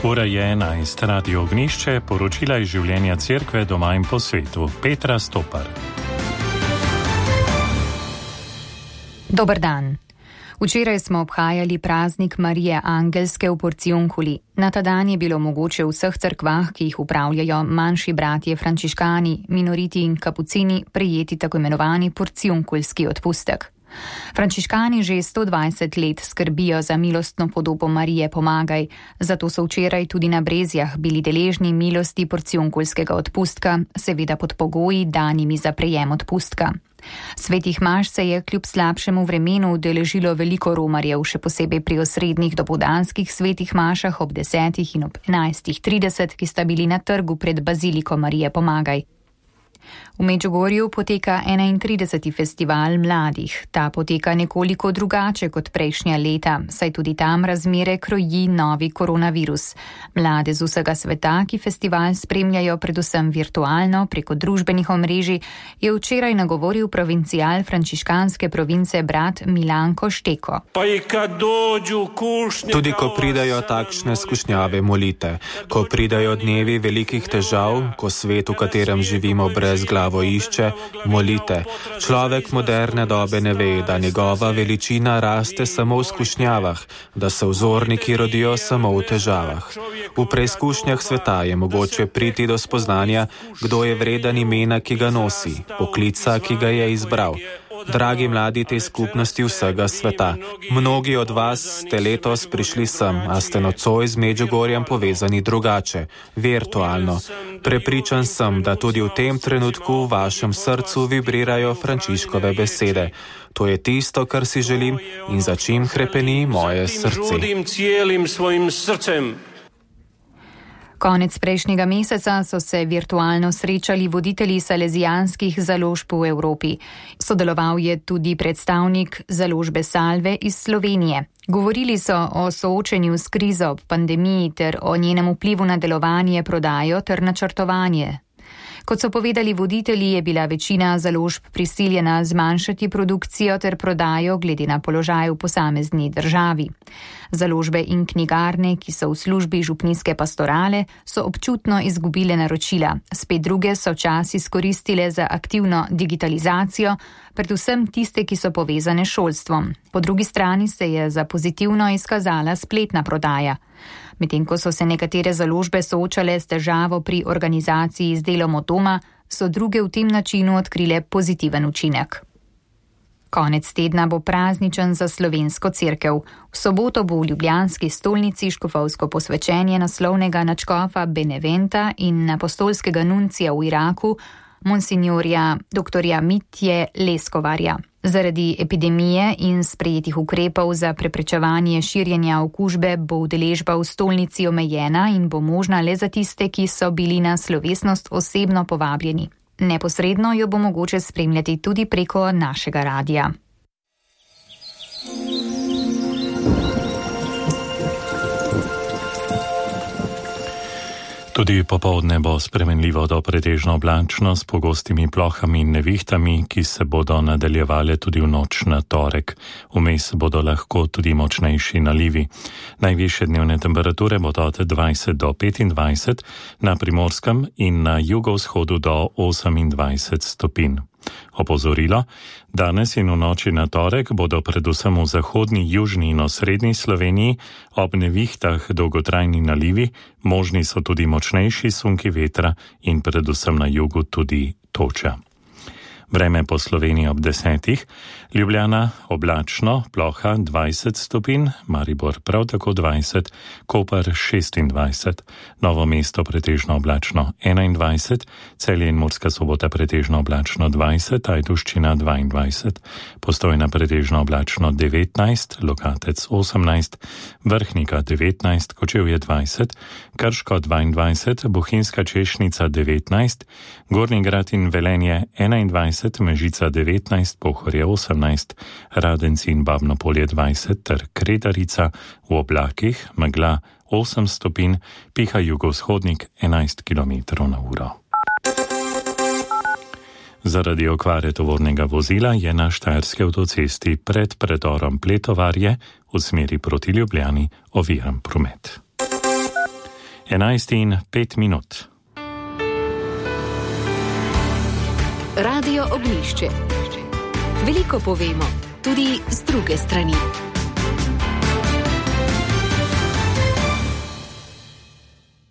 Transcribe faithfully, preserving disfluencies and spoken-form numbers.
Ura je enajst, Radio Ognišče, poročila iz življenja cerkve doma in po svetu. Petra Stopar. Dober dan. Včeraj smo obhajali praznik Marije Angelske v Porciunkuli. Na ta dan je bilo mogoče v vseh cerkvah, ki jih upravljajo manjši bratje frančiškani, minoriti in kapucini, prejeti tako imenovani porciunkulski odpustek. Frančiškani že sto dvajset let skrbijo za milostno podobo Marije Pomagaj, zato so včeraj tudi na Brezjah bili deležni milosti porciunkulskega odpustka, seveda pod pogoji danimi za prejem odpustka. Svetih maš se je kljub slabšemu vremenu udeležilo veliko romarjev, še posebej pri osrednjih dopoldanskih svetih mašah ob desetih in ob enajstih trideset, ki sta bili na trgu pred baziliko Marije Pomagaj. V Medžugorju poteka enaintrideseti festival mladih. Ta poteka nekoliko drugače kot prejšnja leta, saj tudi tam razmere kroji novi koronavirus. Mlade z vsega sveta, ki festival spremljajo predvsem virtualno preko družbenih omrežij, je včeraj nagovoril provincial frančiškanske province brat Milanko Šteko. Tudi ko pridajo takšne skušnjave, molite. Ko pridajo dnevi velikih težav, ko svet, v katerem živimo, brez glavo išče, molite. Človek moderne dobe ne ve, da njegova veličina raste samo v skušnjavah, da se vzorniki rodijo samo v težavah. V preizkušnjah sveta je mogoče priti do spoznanja, kdo je vreden imena, ki ga nosi, poklica, ki ga je izbral. Dragi mladi te skupnosti vsega sveta, mnogi od vas ste letos prišli sem, a ste nocoj z Medžugorjem povezani drugače, virtualno. Prepričan sem, da tudi v tem trenutku v vašem srcu vibrirajo Frančiškove besede. To je tisto, kar si želim in za čim hrepeni moje srce. Konec prejšnjega meseca so se virtualno srečali voditelji salezijanskih založb v Evropi. Sodeloval je tudi predstavnik založbe Salve iz Slovenije. Govorili so o soočenju s krizo ob pandemiji ter o njenem vplivu na delovanje, prodajo ter načrtovanje. Kot so povedali voditelji, je bila večina založb prisiljena zmanjšati produkcijo ter prodajo glede na položaj v posamezni državi. Založbe in knjigarne, ki so v službi župnijske pastorale, so občutno izgubile naročila. Spet druge so čas izkoristile za aktivno digitalizacijo, predvsem tiste, ki so povezane s šolstvom. Po drugi strani se je za pozitivno izkazala spletna prodaja. Medtem ko so se nekatere založbe soočale s težavo pri organizaciji z delom od doma, so druge v tem načinu odkrile pozitiven učinek. Konec tedna bo prazničen za slovensko cerkev. V soboto bo v ljubljanski stolnici škofovsko posvečenje naslovnega nadškofa Beneventa in apostolskega nuncija v Iraku, monsinjorja doktorja Mitje Leskovarja. Zaradi epidemije in sprejetih ukrepov za preprečevanje širjenja okužbe bo udeležba v stolnici omejena in bo možna le za tiste, ki so bili na slovesnost osebno povabljeni. Neposredno jo bo mogoče spremljati tudi preko našega radija. Tudi popoldne bo spremenljivo do pretežno oblačno s pogostimi plohami in nevihtami, ki se bodo nadaljevale tudi v noč na torek. Vmes bodo lahko tudi močnejši nalivi. Najvišje dnevne temperature bodo od dvajset do petindvajset, na Primorskem in na jugovzhodu do osemindvajset stopinj. Opozorilo, danes in v noči na torek bodo predvsem v zahodni, južni in osrednji Sloveniji ob nevihtah dolgotrajni nalivi, možni so tudi močnejši sunki vetra in predvsem na jugu tudi toča. Vreme po Sloveniji ob desetih, Ljubljana oblačno, ploha dvajset stopinj, Maribor prav tako dvajset, Koper šestindvajset, Novo mesto pretežno oblačno enaindvajset, Celje in Murska Sobota pretežno oblačno dvajset, Ajdovščina dvaindvajset, Postojna pretežno oblačno devetnajst, Lokatec osemnajst, Vrhnika devetnajst, Kočevje dvajset, Krško dvaindvajset, Bohinjska Češnica devetnajst, Gornji Grad in Velenje enaindvajset, Mežica devetnajst, Pohorje osemnajst, Radenci in Babno Polje dvajset ter Kredarica, v oblakih megla osem stopinj, piha jugovzhodnik enajst kilometrov na uro. Zaradi okvare tovornega vozila je na štajerski avtocesti pred predorom Pletovarje v smeri proti Ljubljani oviran promet. enajst in pet minut. Radio Ognjišče. Veliko povemo, tudi z druge strani.